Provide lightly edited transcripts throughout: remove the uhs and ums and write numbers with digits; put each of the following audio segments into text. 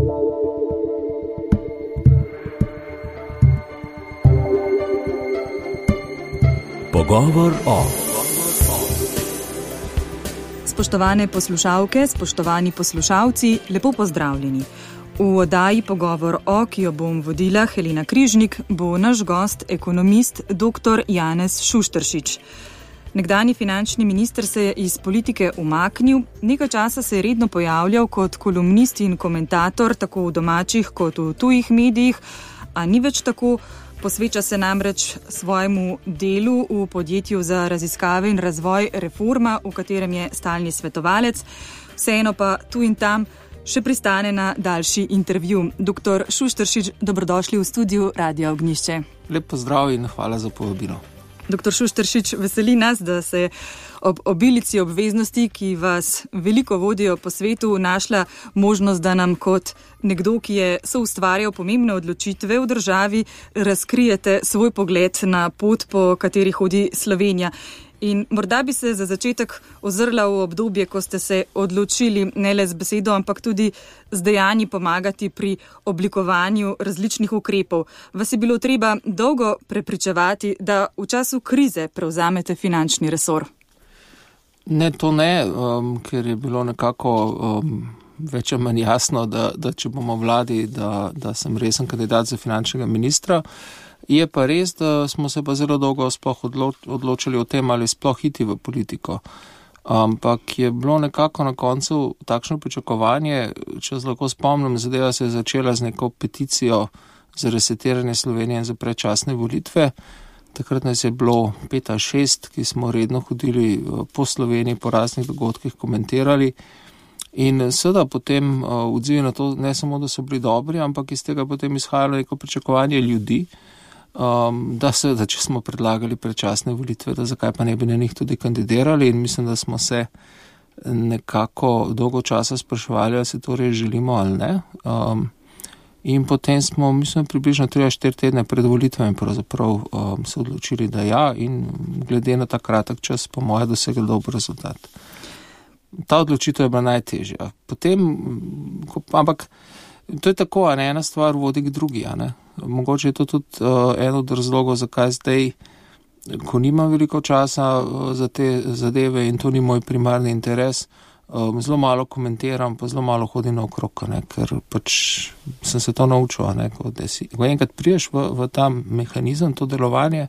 Pogovor o. Spoštovane poslušalke, spoštovani poslušalci, lepo pozdravljeni. V oddaji Pogovor o, ki jo bom vodila, Helena Križnik, bo naš gost ekonomist dr. Janez Šušteršič. Nekdanji finančni minister se je iz politike umaknil, nekaj časa se je redno pojavljal kot kolumnist in komentator, tako v domačih kot v tujih medijih, a ni več tako. Posveča se namreč svojemu delu v podjetju za raziskave in razvoj Reforma, v katerem je stalni svetovalec. Vseeno pa tu in tam še pristane na daljši intervju. Dr. Šušteršič, dobrodošli v studiu Radia Ognjišče. Lep pozdrav in hvala za povabilo. Dr. Šušteršič, veseli nas, da se ob obilici obveznosti, ki vas veliko vodijo po svetu, našla možnost, da nam kot nekdo, ki je soustvarjal pomembne odločitve v državi, razkrijete svoj pogled na pot, po kateri hodi Slovenija. In morda bi se za začetek ozrla v obdobje, ko ste se odločili ne le z besedo, ampak tudi z dejanji pomagati pri oblikovanju različnih ukrepov. Vas je bilo treba dolgo prepričevati, da v času krize prevzamete finančni resor? Ne, to ne, ker je bilo nekako več ali manj jasno, da če bomo vladi, da sem resen kandidat za finančnega ministra. Je pa res, da smo se pa zelo dolgo sploh odločili o tem, ali sploh iti v politiko. Ampak je bilo nekako na koncu takšno pričakovanje, če se lahko spomnim, zadeva se je začela z neko peticijo za resetiranje Slovenije in za predčasne volitve. Takrat nas je bilo 5 ali 6, ki smo redno hodili po Sloveniji, po raznih dogodkih komentirali. In seveda potem odzivi na to ne samo, da so bili dobri, ampak iz tega potem izhajalo neko pričakovanje ljudi, da seveda, če smo predlagali predčasne volitve, da zakaj pa ne bi na njih tudi kandidirali, in mislim, da smo se nekako dolgo časa spraševali, ali se torej želimo ali ne. In potem smo, mislim, približno 3-4 tedne pred volitvami pravzaprav se odločili, da ja, in glede na ta kratek čas, po moje, dosegli dober rezultat. Ta odločitev je bila najtežja. Potem, ampak to je tako, a ne, ena stvar vodi k drugi, a ne. Mogoče je to tudi eno od razlogov, zakaj zdaj, ko nimam veliko časa za te zadeve in to ni moj primarni interes, zelo malo komentiram, pa zelo malo hodim naokrog, ne, ker pač sem se to naučil, ne, ko enkrat priješ v ta mehanizem, to delovanje,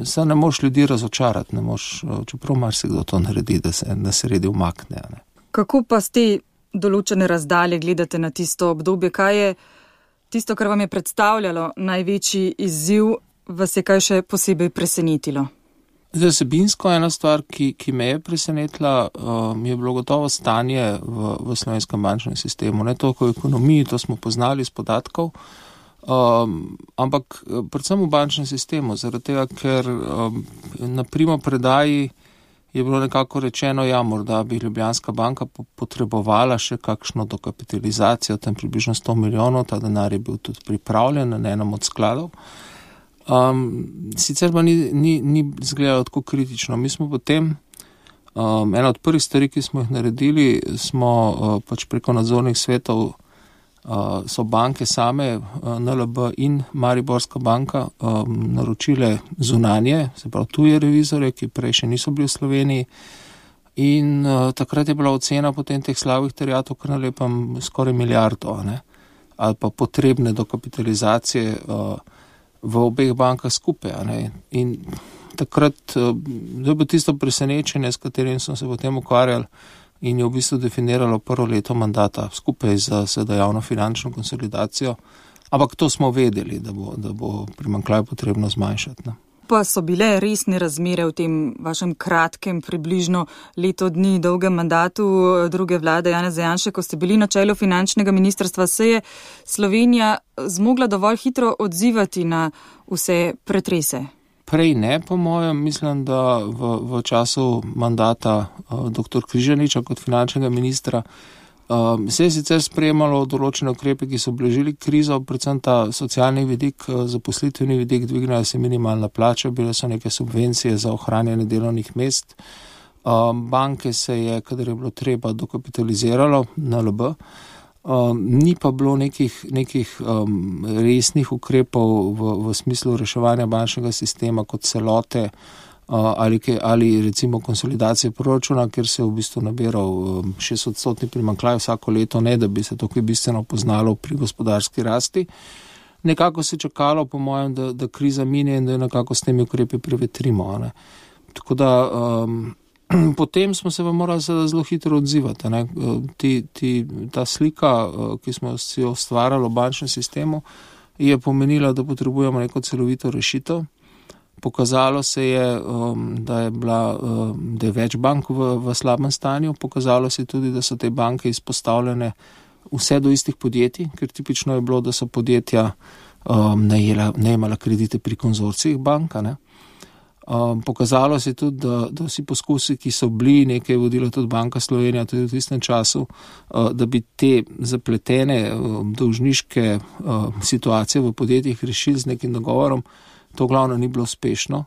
se ne moš ljudi razočarati, ne moš, čeprav marsikdo to naredi, da se redi umakne. Ne. Kako pa z te določene razdalje gledate na tisto obdobje? Kaj je tisto, kar vam je predstavljalo največji izziv, vas je kaj še posebej presenetilo? Zdaj, vsebinsko ena stvar, ki me je presenetila, je bilo gotovo stanje v slovenskem bančnem sistemu. Ne toliko v ekonomiji, to smo poznali iz podatkov, ampak predvsem v bančnem sistemu, zaradi tega, ker na primopredaji je bilo nekako rečeno, ja, morda bi Ljubljanska banka potrebovala še kakšno dokapitalizacijo, tam približno 100 milijonov, ta denar je bil tudi pripravljen na enem od skladov. Sicer pa ni izgledalo tako kritično. Mi smo potem, ena od prvih stvari, ki smo jih naredili, smo pač preko nadzornih svetov, so banke same, NLB in Mariborska banka, naročile zunanje, se pravi tuje revizore, ki prej še niso bili v Sloveniji. In takrat je bila ocena potem teh slabih terjatev kar na lepem skoraj milijardo, ne, ali pa potrebne dokapitalizacije v obeh bankah skupaj. Ne. In takrat je bilo tisto presenečenje, s katerim smo se potem ukvarjali in je v bistvu definiralo prvo leto mandata skupaj z javno finančno konsolidacijo. Ampak to smo vedeli, da bo primanjkljaj potrebno zmanjšati. Ne. Pa so bile resne razmere v tem vašem kratkem, približno leto dni dolgem mandatu druge vlade Janeza Janše, ko ste bili na čelu finančnega ministrstva, se je Slovenija zmogla dovolj hitro odzivati na vse pretrese? Prej ne, po mojem, mislim, da v času mandata dr. Križaniča kot finančnega ministra se je sicer sprejemalo določene ukrepe, ki so blažili krizo, predvsem ta socialni vidik, zaposlitveni vidik, dvignila se minimalna plača, bile so neke subvencije za ohranjanje delovnih mest. Banke se je, kadar je bilo treba, dokapitaliziralo, NLB. Ni pa bilo nekih resnih ukrepov v smislu reševanja bančnega sistema kot celote ali recimo konsolidacije proračuna, ker se je v bistvu nabiral 6% primanjkljaj vsako leto, ne da bi se to kaj bistveno poznalo pri gospodarski rasti. Nekako se čakalo, po mojem, da kriza mine in da nekako s temi ukrepi prevetrimo. Ne. Tako da potem smo se pa morali zelo hitro odzivati. Ne. Ta slika, ki smo si jo ustvarjali v bančnem sistemu, je pomenila, da potrebujemo neko celovito rešitev. Pokazalo se je, da je več bank v slabem stanju. Pokazalo se je tudi, da so te banke izpostavljene vse do istih podjetij, ker tipično je bilo, da so podjetja najemala kredite pri konzorcijih banka. Ne. Pokazalo se je tudi, da vsi poskusi, ki so bili, nekaj je vodila tudi Banka Slovenija tudi v tistem času, da bi te zapletene dolžniške situacije v podjetjih rešili z nekim dogovorom, to glavno ni bilo uspešno.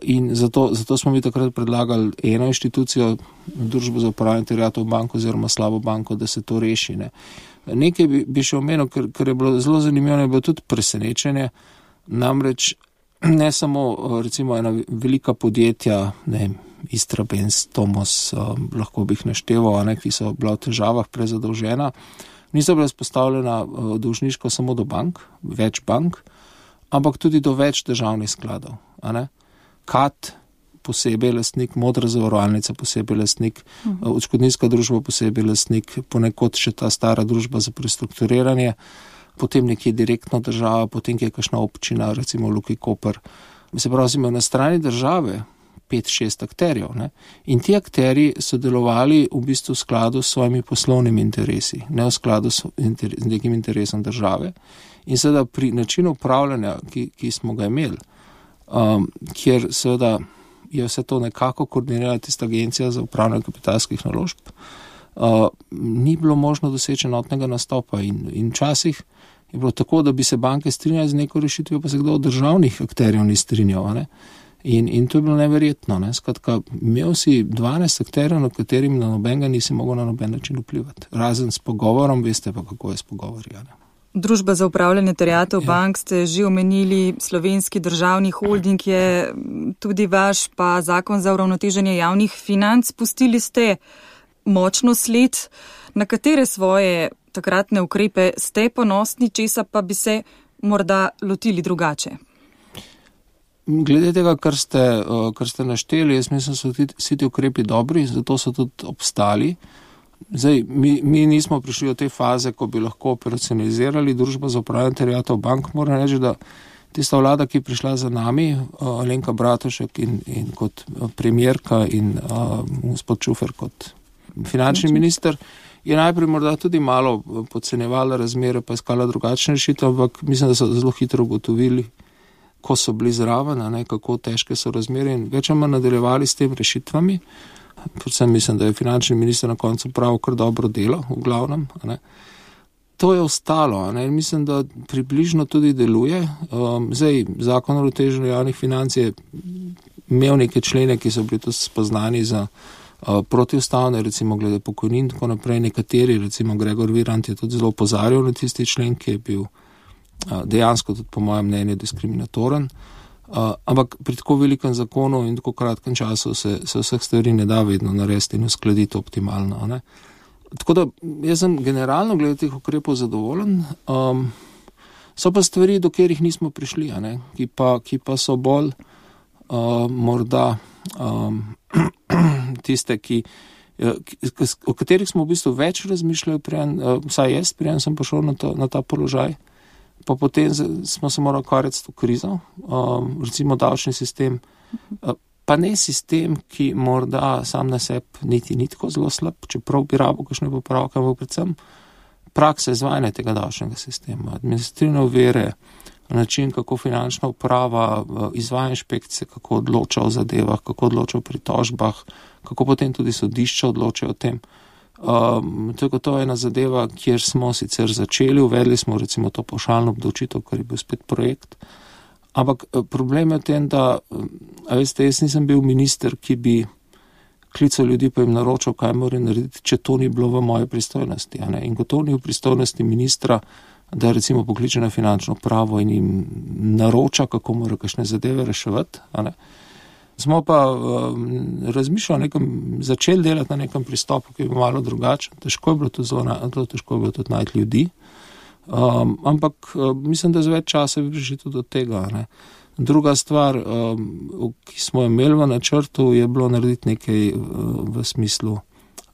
In zato smo mi takrat predlagali eno inštitucijo, Družbo za upravljanje terjatev bank oziroma slabo banko, da se to reši. Ne. Nekaj bi še omenil, ker je bilo zelo zanimivo, je bilo tudi presenečenje, namreč ne samo recimo ena velika podjetja, Istrabenz, Tomos, lahko bi jih našteval, ki so bila v težavah prezadolžena, niso bila spostavljena dolžniško samo do bank, več bank, ampak tudi do več državnih skladov. KAT posebej lastnik, Modra zavarovalnica posebej lastnik, odškodninska družba posebej lastnik, ponekod še ta stara družba za prestrukturiranje, potem nekje direktno država, potem je kakšna občina, recimo Luki Koper. Se pravi, imamo na strani države 5-6 akterjev. Ne? In ti akterji so delovali v bistvu v skladu s svojimi poslovnimi interesi, ne v skladu s nekim interesom države. In seveda pri načinu upravljanja, ki smo ga imeli, kjer seveda je vse to nekako koordinirala tista agencija za upravljanje kapitalskih naložb, ni bilo možno doseči enotnega nastopa in včasih je bilo tako, da bi se banke strinjali z neko rešitvijo, pa se kdo od državnih akterjev ni strinjal. Ne? In to je bilo neverjetno. Ne? Skratka, imel si 12 akterjev, na katerim na nobenega nisi mogel na noben način vplivati. Razen s pogovorom, veste pa, kako je s pogovori. Ne? Družba za upravljanje terjatev bank ste že omenili, Slovenski državni holding je tudi vaš, pa Zakon za uravnoteženje javnih financ. Pustili ste močno sled, na katere svoje takratne ukrepe ste ponosni, česa pa bi se morda lotili drugače? Glede tega, kar ste našteli, jaz mislim, so vsi ti ukrepi dobri, zato so tudi obstali. Zdaj, mi nismo prišli do te faze, ko bi lahko operacionalizirali Družbo za upravljanje terjatev bank. Moram reči, da tista vlada, ki je prišla za nami, Alenka Bratušek in kot premierka in gospod Čufer kot finančni minister, je najprej morda tudi malo podcenjevala razmere, pa iskala drugačne rešitve, ampak mislim, da so zelo hitro ugotovili, ko so bili zraven, kako težke so razmere in več ali manj nadaljevali s tem rešitvami. Predvsem mislim, da je finančni minister na koncu prav kar dobro delo, v glavnem. To je ostalo, in mislim, da približno tudi deluje. Zdaj, Zakon o uravnoteženju javnih financ je imel neke člene, ki so bili tudi spoznani za protiustavne, recimo glede pokojnin in tako naprej. Nekateri, recimo Gregor Virant je tudi zelo opozarjal na tisti člen, ki je bil dejansko tudi po mojem mnenju diskriminatoren. Ampak pri tako velikem zakonu in tako kratkem času se vseh stvari ne da vedno narediti in uskladiti optimalno. Ne? Tako da jaz sem generalno glede teh ukrepov zadovoljen. So pa stvari, do katerih nismo prišli, ki pa so bolj morda tiste, o katerih smo v bistvu več razmišljali, vsaj jaz, preden sem prišel na ta položaj. Pa potem smo se morali ukvarjati s to krizo, recimo davčni sistem, pa ne sistem, ki morda sam na sebi niti ni tako zelo slab, čeprav bi rabo kakšne popravke, ampak predvsem praksa izvajanja tega davčnega sistema, administrativne ovire, način, kako finančna uprava izvaja inšpekcije, kako odloča o zadevah, kako odloča o pritožbah, kako potem tudi sodišča odločajo o tem. To je ena zadeva, kjer smo sicer začeli, uvedli smo recimo to pavšalno obdavčitev, kar je bil spet projekt, ampak problem je v tem, da veste, jaz nisem bil minister, ki bi klical ljudi pa jim naročal, kaj morajo narediti, če to ni bilo v moje pristojnosti. In ko to ni v pristojnosti ministra, da recimo pokliče na finančno upravo in jim naroča, kako morajo kakšne zadeve reševati. Smo pa začeli delati na nekem pristopu, ki je malo drugačen. Težko je bilo tudi najti ljudi. Ampak mislim, da z več časa bi prišli tudi do tega. Druga stvar, ki smo imeli v načrtu, je bilo narediti nekaj v smislu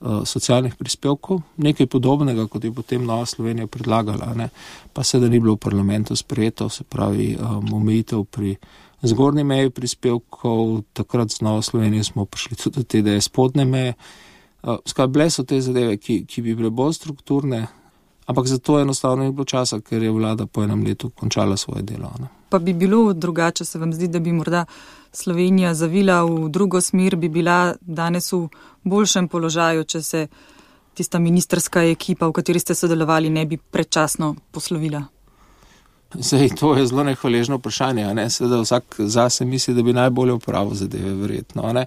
socialnih prispevkov, nekaj podobnega, kot je potem Nova Slovenija predlagala, pa se da ni bilo v parlamentu sprejeto, se pravi omejitev pri zgornji meji prispevkov, takrat z Novo Slovenijo smo prišli tudi do te, da je spodnje meje. Bile so te zadeve, ki bi bile bolj strukturne, ampak zato enostavno ni bilo časa, ker je vlada po enem letu končala svoje delo. Pa bi bilo drugače, se vam zdi, da bi morda Slovenija zavila v drugo smer, bi bila danes v boljšem položaju, če se tista ministrska ekipa, v kateri ste sodelovali, ne bi predčasno poslovila? Zdaj, to je zelo nehvaležno vprašanje, Seveda vsak zase misli, da bi najbolje upravil zadeve, verjetno,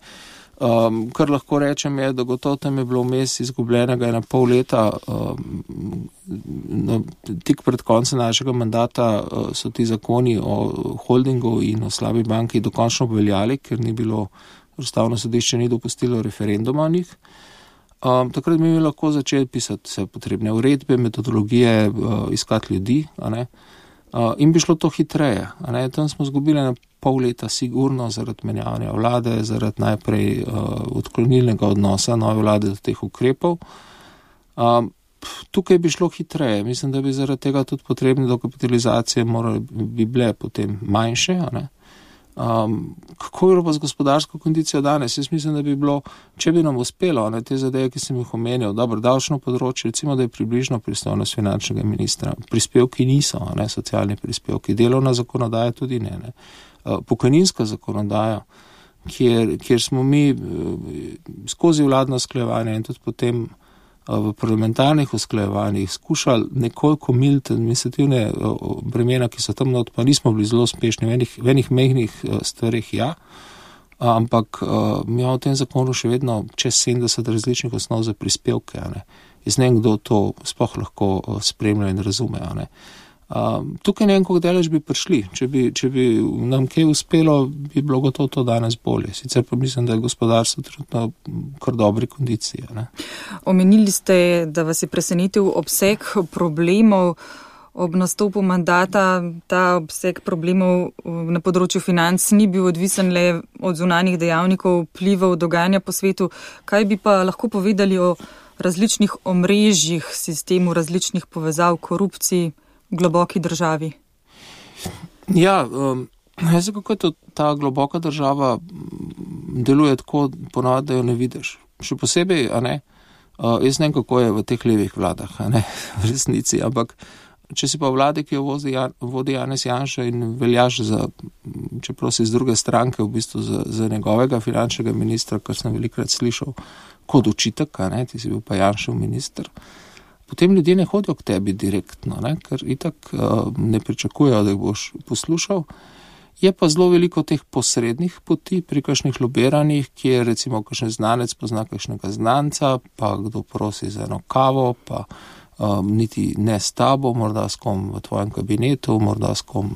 Kar lahko rečem je, da gotovo tam je bilo vmes izgubljenega 1,5 leta. Tik pred koncem našega mandata so ti zakoni o holdingu in o slabi banki dokončno obveljali, ker ni bilo, Ustavno sodišče ni dopustilo referenduma o njih. Takrat bi mi lahko začeli pisati vse potrebne uredbe, metodologije, iskati ljudi, in bi šlo to hitreje. Tam smo izgubili 1,5 leta sigurno zaradi menjavanja vlade, zaradi najprej odklonilnega odnosa nove vlade do teh ukrepov. Tukaj bi šlo hitreje. Mislim, da bi zaradi tega tudi potrebne dokapitalizacije bi bile potem manjše. Kako bi bilo pa z gospodarsko kondicijo danes? Jaz mislim, da bi bilo, če bi nam uspelo, te zadeve, ki sem jih omenil, dobro, davčno področje, recimo, da je približno pristojnost finančnega ministra. Prispevki niso, socialni prispevki, delovna zakonodaja tudi ne. Pokojninska zakonodaja, kjer smo mi skozi vladno usklajevanje in tudi potem v parlamentarnih usklajevanjih skušali nekoliko militi administrativne bremena, ki so tam not, pa nismo bili zelo uspešni v enih mehnih stvarih, ampak mi imamo v tem zakonu še vedno čez 70 različnih osnov za prispevke. Jaz ne vem, kdo to sploh lahko spremlja in razume. Tukaj ne vem, koliko delež bi prišli. Če bi nam kaj uspelo, bi bilo gotovo to danes bolje. Sicer pa mislim, da je gospodarstvo trenutno kar dobri kondiciji. Omenili ste, da vas je presenetil obseg problemov ob nastopu mandata. Ta obseg problemov na področju financ ni bil odvisen le od zunanjih dejavnikov, vplivov, dogajanja po svetu. Kaj bi pa lahko povedali o različnih omrežjih, sistemu različnih povezav, korupciji, globoki državi? Jaz kako je to, ta globoka država deluje tako ponavadi, da jo ne vidiš. Še posebej, jaz ne vem, kako je v teh levih vladah, v resnici, ampak če si pa vlade, ki jo vodi Janez Janša in veljaš za, čeprav si iz druge stranke, v bistvu za njegovega finančnega ministra, kar sem velikrat slišal kot očitek, ti si bil pa Janšev minister, potem ljudje ne hodijo k tebi direktno, ker itak ne pričakujejo, da jih boš poslušal. Je pa zelo veliko teh posrednih poti pri kakšnih lobiranjih, kjer recimo kakšen znanec pozna kakšnega znanca, pa kdo prosi za eno kavo, pa niti ne s tabo, morda s kom v tvojem kabinetu, morda s kom,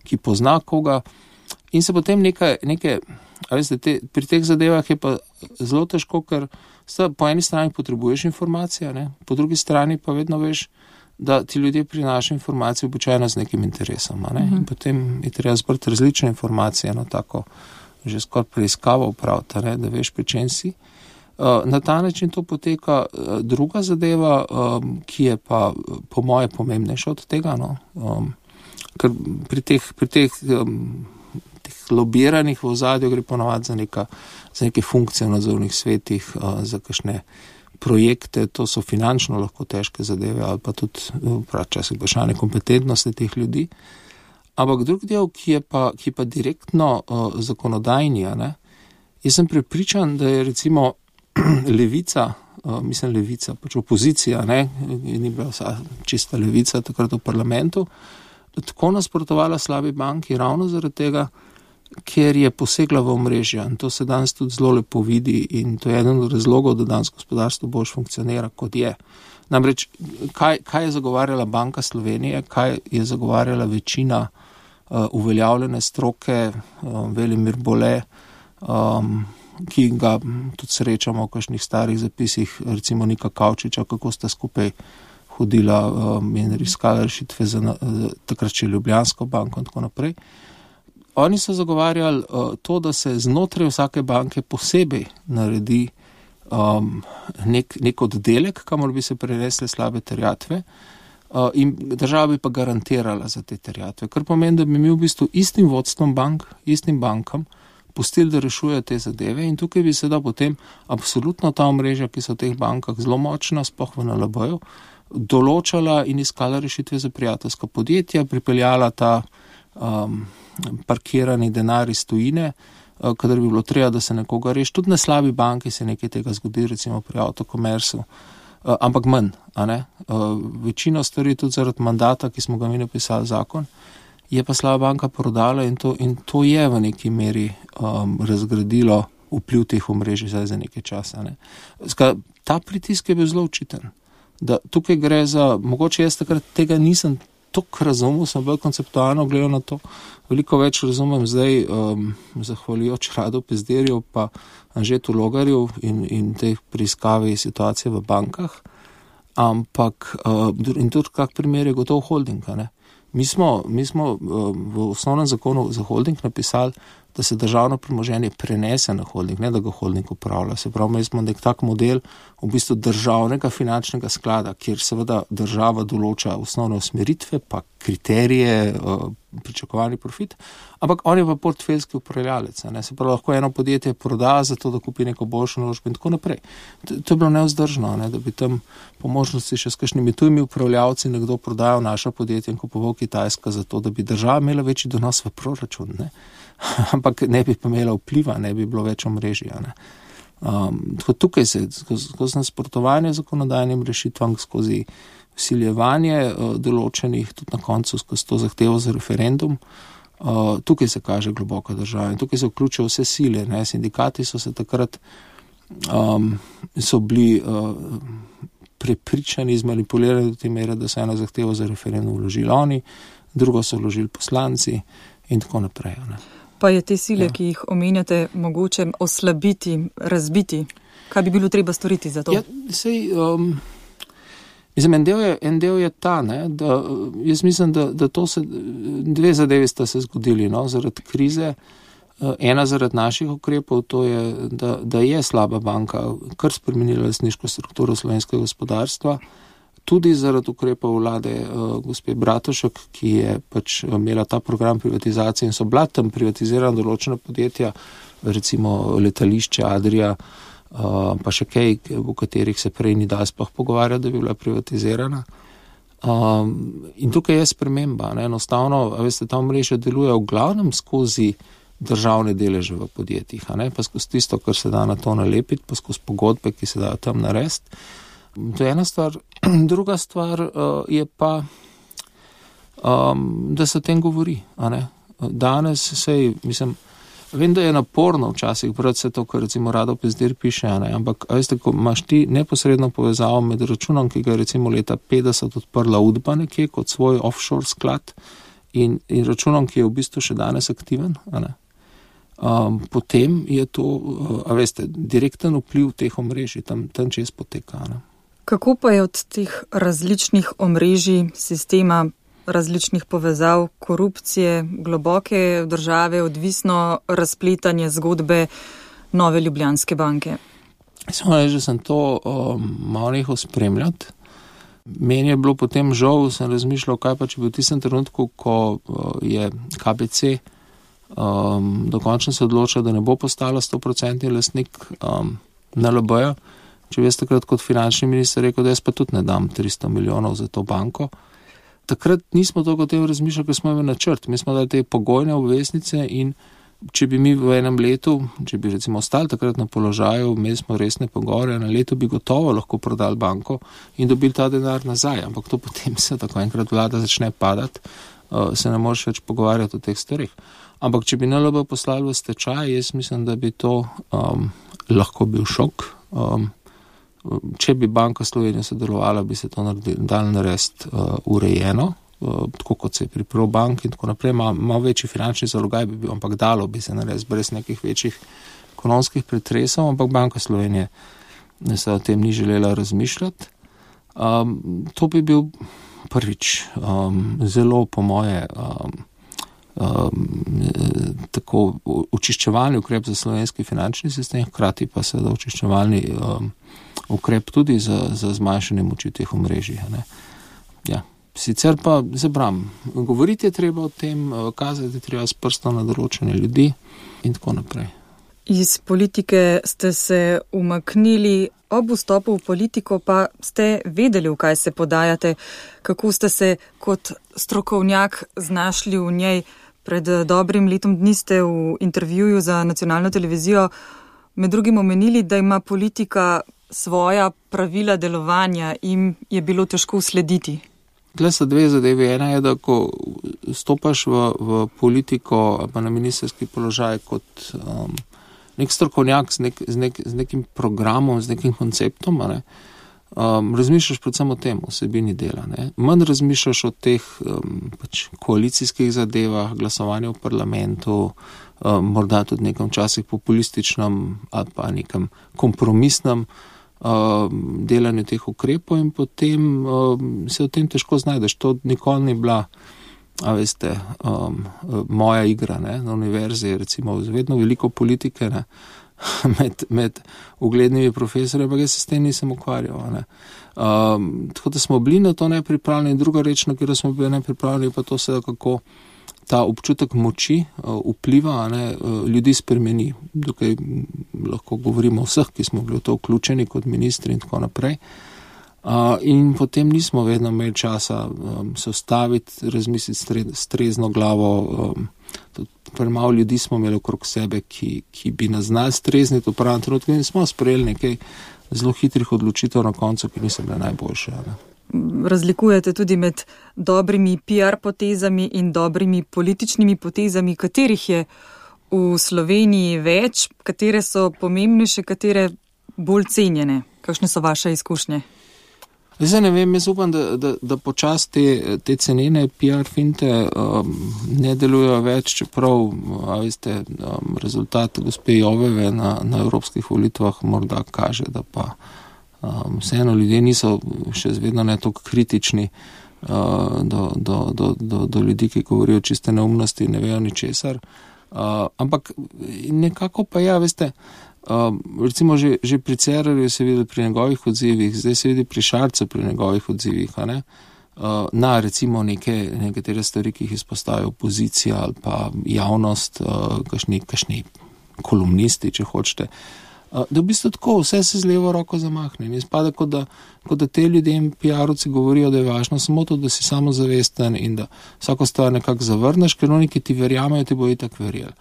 ki pozna koga. In se potem pri teh zadevah je pa zelo težko, ker po eni strani potrebuješ informacije, po drugi strani pa vedno veš, da ti ljudje prinašajo informacije običajno z nekim interesom. In potem je treba zbrati različne informacije, tako že skoraj preiskavo upraviti, da veš, pri čem si. Na ta način to poteka. Druga zadeva, ki je pa po moje pomembnejša od tega, ker pri teh lobiranih v ozadju gre ponovadi za neke funkcije v nadzornih svetih, za kakšne projekte, to so finančno lahko težke zadeve ali pa tudi včasih vprašanje kompetentnosti teh ljudi. Ampak drug del, ki pa direktno zakonodajni, jaz sem prepričan, da je recimo levica, pač opozicija, ni bila čista levica takrat v parlamentu, tako nasprotovala slabi banki ravno zaradi tega, ker je posegla v omrežja. In to se danes tudi zelo lepo vidi in to je eden od razlogov, da danes gospodarstvo bolj funkcionira, kot je. Namreč, kaj je zagovarjala Banka Slovenije, kaj je zagovarjala večina uveljavljene stroke, Velimir Bole, ki ga tudi srečamo v kakšnih starih zapisih, recimo Nika Kavčiča, kako sta skupaj hodila in iskala rešitve za takrat še Ljubljansko banko in tako naprej. Oni so zagovarjali to, da se znotraj vsake banke posebej naredi nek oddelek, kamor bi se prenesle slabe terjatve in država bi pa garantirala za te terjatve. Kar pomeni, da bi mi v bistvu istim vodstvom bank, istim bankam pustili, da rešujejo te zadeve in tukaj bi se da potem absolutno ta omrežja, ki so v teh bankah zelo močna, sploh v NLB-ju, določala in iskala rešitve za prijateljska podjetja, pripeljala ta parkirani denar iz tujine, kadar bi bilo treba, da se nekoga reši. Tudi na slabi banki se nekaj tega zgodi, recimo pri Autokomersu, ampak manj. Večino stvari tudi zaradi mandata, ki smo ga mi napisali zakon, je pa slaba banka prodala in to je v neki meri razgradilo vpliv teh omrežij za nekaj časa. Ta pritisk je bil zelo očiten. Da tukaj gre za, mogoče jaz takrat tega nisem toliko razumel, sem bolj konceptualno gledal na to, veliko več razumem zdaj, zahvaljujoč Radu Pezdirju pa Anžetu Logarju in teh preiskavi situacije v bankah, ampak in tudi kak primer je gotov holding. Mi smo v osnovnem zakonu za holding napisali, da se državno premoženje prenese na holding, ne da ga holding upravlja. Se pravi, mi smo nek tak model v bistvu državnega finančnega sklada, kjer seveda država določa osnovne usmeritve, pa kriterije, pričakovani profit, ampak on je pa portfeljski upravljalec. Se pravi, lahko eno podjetje proda zato, da kupi neko boljšo naložbo in tako naprej. To je bilo nevzdržno, da bi tam po možnosti še s kakšnimi tujimi upravljalci nekdo prodajal naša podjetja in kupoval Kitajska zato, da bi država imela večji donos v proračun, ampak ne bi pa imela vpliva, ne bi bilo več omrežja. Tukaj se skozi nasprotovanje zakonodajnim rešitvam, skozi vsiljevanje določenih, tudi na koncu skozi to zahtevo za referendum, tukaj se kaže globoka država in tukaj se vključijo vse sile. Sindikati so se takrat so bili prepričani, zmanipulirani do te mere, da so eno zahtevo za referendum vložili oni, drugo so vložili poslanci in tako naprej. Pa je te sile, ki jih omenjate, mogoče oslabiti, razbiti? Kaj bi bilo treba storiti za to? En del je ta, da jaz mislim, da to se, dve zadevi sta se zgodili, zaradi krize. Ena zaradi naših ukrepov, to je, da je slaba banka kar spremenila lastniško strukturo slovenskega gospodarstva, tudi zaradi ukrepov vlade gospe Bratušek, ki je pač imela ta program privatizacije in so bila tam privatizirana določena podjetja, recimo letališče Adria, pa še kaj, v katerih se prej ni dal sploh pogovarjati, da bi bila privatizirana. In tukaj je sprememba. Enostavno, veste, ta omrežja deluje v glavnem skozi državne deleže v podjetjih, pa skozi tisto, kar se da na to nalepiti, pa skozi pogodbe, ki se dajo tam narediti. To je ena stvar. Druga stvar je pa, da se o tem govori. Danes vem, da je naporno včasih brati vse to, kar recimo Rado Pezdir piše, ampak veste, ko imaš ti neposredno povezavo med računom, ki ga je recimo leta 50 odprla Udba nekje kot svoj offshore sklad in računom, ki je v bistvu še danes aktiven, potem je to, veste, direkten vpliv teh omrežij tam čez poteka. Kako pa je od teh različnih omrežij, sistema, različnih povezav, korupcije, globoke države odvisno razpletanje zgodbe Nove Ljubljanske banke? Samo reči, da sem to malo nehal spremljati. Meni je bilo potem žal, sem razmišljal, kaj pa če bi v tistem trenutku, ko je KBC dokončno se odločil, da ne bo postala 100% lastnik NLB-ja, če bi jaz takrat kot finančni minister rekel, da jaz pa tudi ne dam 300 milijonov za to banko. Takrat nismo toliko o tem razmišljali, ker smo imeli načrt. Mi smo dali te pogojne obveznice in če bi mi v enem letu, če bi recimo ostali takrat na položaju, imeli smo resne pogovore, na leto bi gotovo lahko prodali banko in dobili ta denar nazaj. Ampak to potem se tako enkrat vlada začne padati, se ne moreš več pogovarjati o teh stvarih. Ampak, če bi NLB poslali v stečaj, jaz mislim, da bi to lahko bil šok. Če bi Banka Slovenije sodelovala, bi se to dalo narediti urejeno, tako kot se je pri Probank in tako naprej. Malo večji finančni zalogaj bi bil, ampak dalo bi se narediti brez nekih večjih ekonomskih pretresov, ampak Banka Slovenije se o tem ni želela razmišljati. To bi bil prvič zelo po moje tako očiščevalni ukrep za slovenski finančni sistem, hkrati pa seveda očiščevalni ukrep tudi za zmanjšanje moči teh omrežij. Ja. Sicer pa zabram, govoriti je treba o tem, kazati je treba s prstom na določene ljudi in tako naprej. Iz politike ste se umaknili, ob vstopu v politiko pa ste vedeli, v kaj se podajate, kako ste se kot strokovnjak znašli v njej. Pred dobrim letom dni ste v intervjuju za nacionalno televizijo med drugim omenili, da ima politika svoja pravila delovanja in je bilo težko slediti. Tle so dve zadevi. Ena je, da ko stopaš v politiko ali pa na ministerski položaj kot nek strokovnjak z nekim programom, z nekim konceptom, razmišljaš predvsem o tem, vsebini dela. Manj razmišljaš o teh koalicijskih zadevah, glasovanju v parlamentu, morda tudi nekem časih populističnem ali pa nekem kompromisnem delanju teh ukrepov in potem se v tem težko znajdeš. To nikoli ni bila, moja igra, na univerzi, recimo, vedno veliko politike, med uglednimi profesorji, ampak jaz se s tem nisem ukvarjal. Tako da smo bili na to nepripravljeni. Druga reč, na katero smo bili nepripravljeni, pa to se, kako ta občutek moči vpliva, ljudi spremeni. Tukaj lahko govorimo o vseh, ki smo bili v to vključeni kot ministri in tako naprej. In potem nismo vedno imeli časa se ustaviti, razmisliti s trezno glavo. Premalo ljudi smo imeli okrog sebe, ki bi nas znali strezniti v pravem trenutku in smo sprejeli nekaj zelo hitrih odločitev na koncu, ki niso bile najboljše. Razlikujete tudi med dobrimi PR potezami in dobrimi političnimi potezami, katerih je v Sloveniji več, katere so pomembnejše, katere bolj cenjene. Kakšne so vaše izkušnje? Zdaj ne vem, jaz upam, da počasi te cenene PR finte ne delujejo več, čeprav, rezultat gospe Joveve na evropskih volitvah morda kaže, da pa vseeno ljudje niso še vedno ne toliko kritični do ljudi, ki govorijo čiste neumnosti in ne vejo ničesar. Ampak nekako pa recimo že pri Cerarju se vidi pri njegovih odzivih, zdaj se vidi pri Šarcu pri njegovih odzivih, na recimo nekatere stvari, ki jih izpostavlja opozicija ali pa javnost, kakšni kolumnisti, če hočete. Da v bistvu tako, vse se z levo roko zamahne. In izpada, kot da te ljudem PR-ovci govorijo, da je važno samo to, da si samozavesten in da vsako stvar nekako zavrneš, ker oni, ki ti verjamejo, ti bo itak verjeli.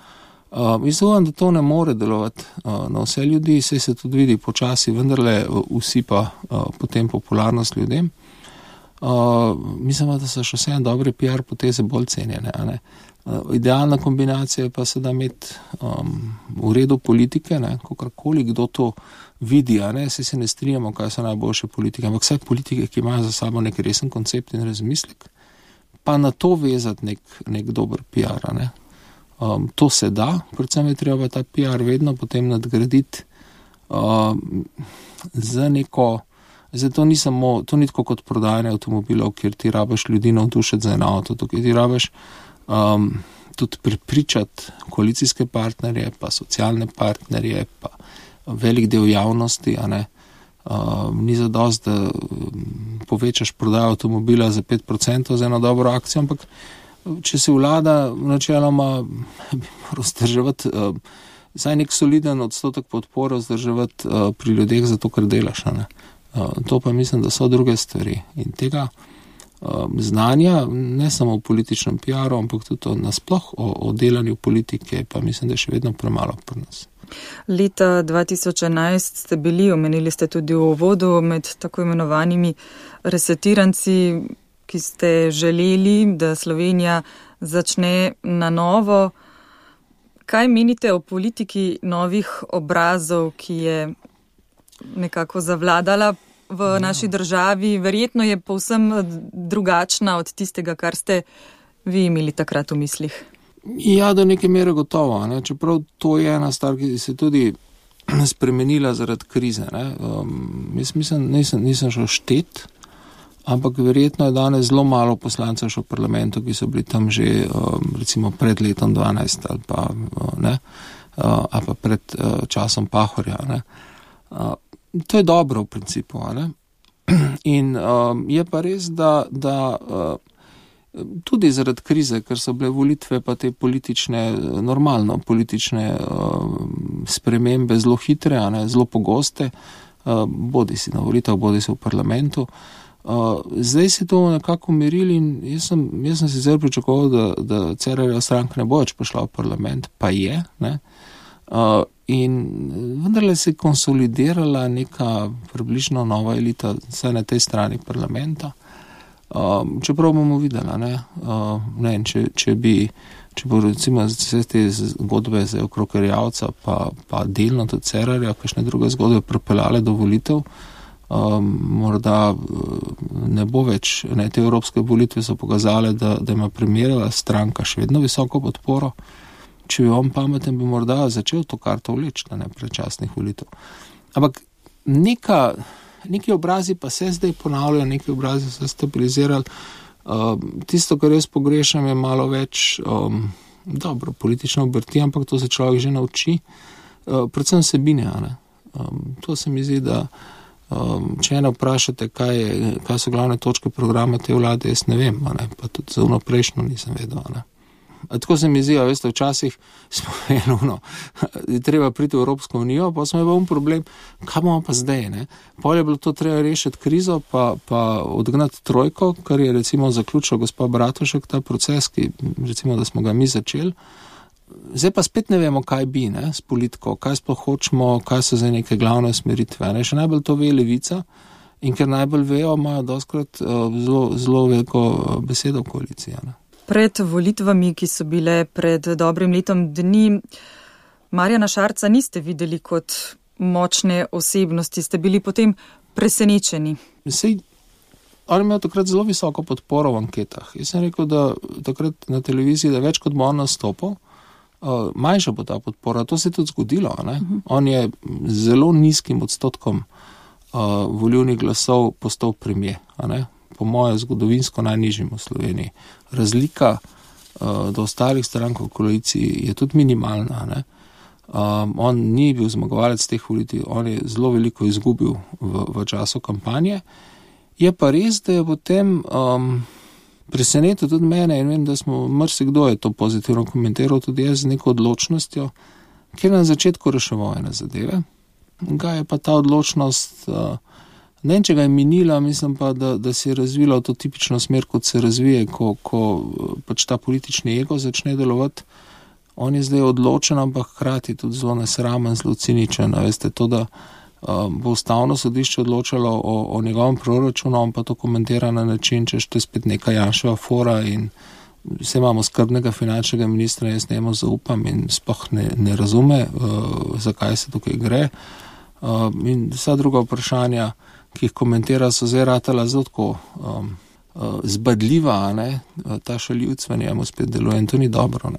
Mislim, da to ne more delovati na vse ljudi, saj se tudi vidi počasi, vendarle usipa potem popularnost ljudem. Mislim, da so še vse dobre PR poteze bolj cenjene. Idealna kombinacija je pa se da imeti v redu politike, kakorkoli kdo to vidi, saj se ne strinjamo, kaj so najboljše politike, ampak vse politike, ki imajo za sabo nek resen koncept in razmislek, pa na to vezati nek dober PR, to se da, predvsem je treba ta PR vedno potem nadgraditi za neko. Zdaj, to ni tako kot prodajanje avtomobilov, kjer ti rabiš ljudi navdušiti za en avto, tukaj ti rabiš tudi prepričati koalicijske partnerje, pa socialne partnerje, pa velik del javnosti, ni zadosti, da povečaš prodajo avtomobila za 5% za eno dobro akcijo, ampak če se vlada načeloma bi moral vzdrževati vsaj nek soliden odstotek podpore vzdrževati pri ljudeh zato, ker delaš, To pa mislim, da so druge stvari. In tega znanja, ne samo v političnem PR-u, ampak tudi nasploh o delanju politike, pa mislim, da je še vedno premalo pri nas. Leta 2011 ste bili, omenili ste tudi v uvodu, med tako imenovanimi resetiranci, ki ste želeli, da Slovenija začne na novo. Kaj menite o politiki novih obrazov, ki je nekako zavladala v naši državi? Verjetno je povsem drugačna od tistega, kar ste vi imeli takrat v mislih. Ja, do neke mere gotovo. Ne? Čeprav to je ena stvar, ki se tudi spremenila zaradi krize. Jaz mislim, nisem šel štet, ampak verjetno je danes zelo malo poslancev še v parlamentu, ki so bili tam že recimo pred letom 12 ali pa pred časom Pahorja. Ne? To je dobro v principu. Ne? In je pa res, da tudi zaradi krize, ker so bile volitve pa te politične spremembe zelo hitre, zelo pogoste, bodi si na volitvah, bodi si v parlamentu. Zdaj se to nekako umirili in jaz sem sicer pričakoval, da Cerarjeva stranka ne bo več prišla v parlament, pa je. Ne? In vendarle se je konsolidirala neka približno nova elita, vsaj na tej strani parlamenta. Čeprav bomo videli, če bo recimo vse te zgodbe za okrog Erjavca pa delno tudi Cerarja, kakšne druge zgodbe pripeljale do volitev, morda ne bo več, te evropske volitve so pokazale, da ima primerjala stranka še vedno visoko podporo. Če bi on pameten, bi morda začel to karto vleči, predčasnih volitev. Ampak neki obrazi pa se zdaj ponavljajo, neki obrazi se stabilizirali. Tisto, kar jaz pogrešam, je malo več politične obrti, ampak to se človek že nauči. Predvsem vsebine. To se mi zdi, da če ene vprašate, kaj so glavne točke programa te vlade, jaz ne vem, pa tudi za prejšnjo nisem vedel. Tako se mi zdi, veste, včasih smo je treba priti v Evropsko unijo, pa smo imeli problem, kaj bomo pa zdaj, Pol je bilo to treba rešiti krizo, pa odgnati trojko, kar je recimo zaključil gospa Bratušek, ta proces, ki recimo, da smo ga mi začeli. Zdaj pa spet ne vemo, kaj bi, s politiko, kaj sploh hočemo, kaj so zdaj neke glavne usmeritve. Še najbolj to ve Levica in ker najbolj vejo, imajo doskrat zelo veliko besedo v koaliciji. Pred volitvami, ki so bile pred dobrim letom dni, Marjana Šarca niste videli kot močne osebnosti, ste bili potem presenečeni. On je imel takrat zelo visoko podporo v anketah. Jaz sem rekel, da takrat na televiziji, da več kot bo on nastopil, manjša bo ta podpora. To se je tudi zgodilo. On je zelo nizkim odstotkom volilnih glasov postal premier. Po moje zgodovinsko najnižjim v Sloveniji. Razlika do ostalih strank v koaliciji je tudi minimalna. On ni bil zmagovalec teh volitev, on je zelo veliko izgubil v času kampanje. Je pa res, da je potem presenetil tudi mene in vem, da marsikdo je to pozitivno komentiral, tudi jaz z neko odločnostjo, kjer na začetku reševal ene zadeve. Ga je pa ta odločnost, ne vem, če ga je minila, mislim pa, da se je razvila v to tipično smer, kot se razvije, ko pač ta politični ego začne delovati. On je zdaj odločen, ampak hkrati tudi zelo nesramen, zelo ciničen. Veste, to, da bo ustavno sodišče odločalo o njegovem proračunu, on pa to komentira na način, če je spet neka Janševa fora in vse imamo skrbnega finančnega ministra, jaz njemu zaupam in sploh ne razume, zakaj se tukaj gre. In vsa druga vprašanja, ki jih komentira, so zdaj ratala zelo tako zbadljiva, ta šaljivc v njemu spet deluje in to ni dobro.